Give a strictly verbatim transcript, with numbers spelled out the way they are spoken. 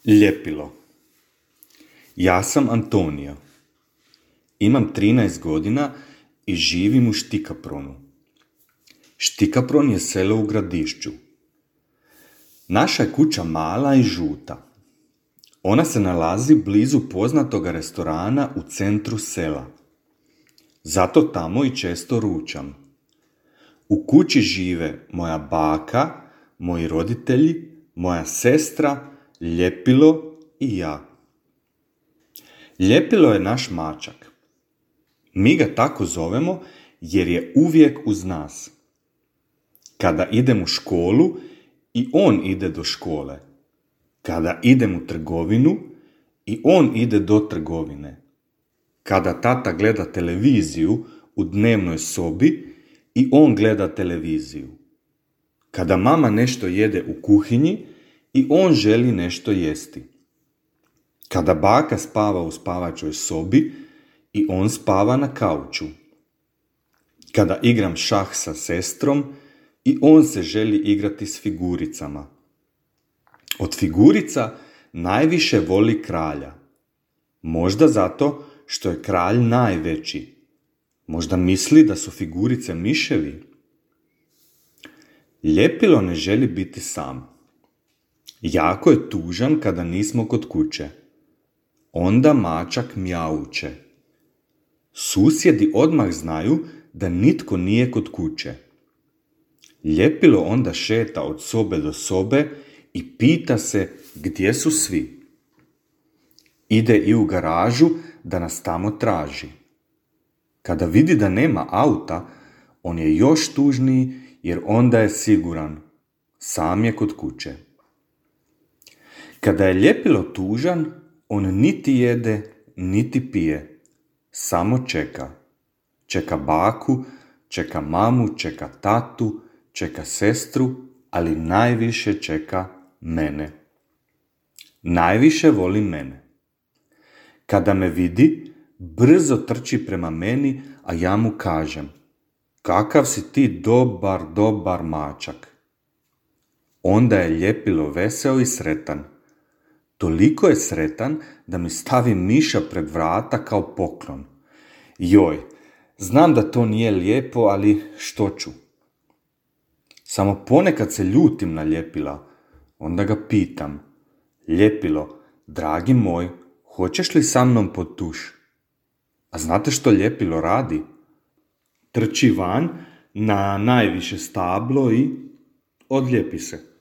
Ljepilo. Ja sam Antonija. Imam trinaest godina i živim u Štikapronu. Štikapron je selo u Gradišću. Naša je kuća mala i žuta. Ona se nalazi blizu poznatog restorana u centru sela. Zato tamo i često ručam. U kući žive moja baka, moji roditelji, moja sestra, Ljepilo i ja. Ljepilo je naš mačak. Mi ga tako zovemo jer je uvijek uz nas. Kada idem u školu, i on ide do škole. Kada idem u trgovinu, i on ide do trgovine. Kada tata gleda televiziju u dnevnoj sobi, i on gleda televiziju. Kada mama nešto jede u kuhinji, i on želi nešto jesti. Kada baka spava u spavačoj sobi, i on spava na kauču. Kada igram šah sa sestrom, i on se želi igrati s figuricama. Od figurica najviše voli kralja. Možda zato što je kralj najveći. Možda misli da su figurice miševi. Ljepilo ne želi biti sam. Jako je tužan kada nismo kod kuće. Onda mačak mjauče. Susjedi odmah znaju da nitko nije kod kuće. Ljepilo onda šeta od sobe do sobe i pita se gdje su svi. Ide i u garažu da nas tamo traži. Kada vidi da nema auta, on je još tužniji jer onda je siguran. Sam je kod kuće. Kada je Ljepilo tužan, on niti jede, niti pije. Samo čeka. Čeka baku, čeka mamu, čeka tatu, čeka sestru, ali najviše čeka mene. Najviše voli mene. Kada me vidi, brzo trči prema meni, a ja mu kažem: kakav si ti dobar, dobar mačak. Onda je Ljepilo veseo i sretan. Toliko je sretan da mi stavi miša pred vrata kao poklon. Joj, znam da to nije lijepo, ali što ću? Samo ponekad se ljutim na Ljepila. Onda ga pitam: Ljepilo, dragi moj, hoćeš li sa mnom pod tuš? A znate što Ljepilo radi? Trči van na najviše stablo i odlijepi se.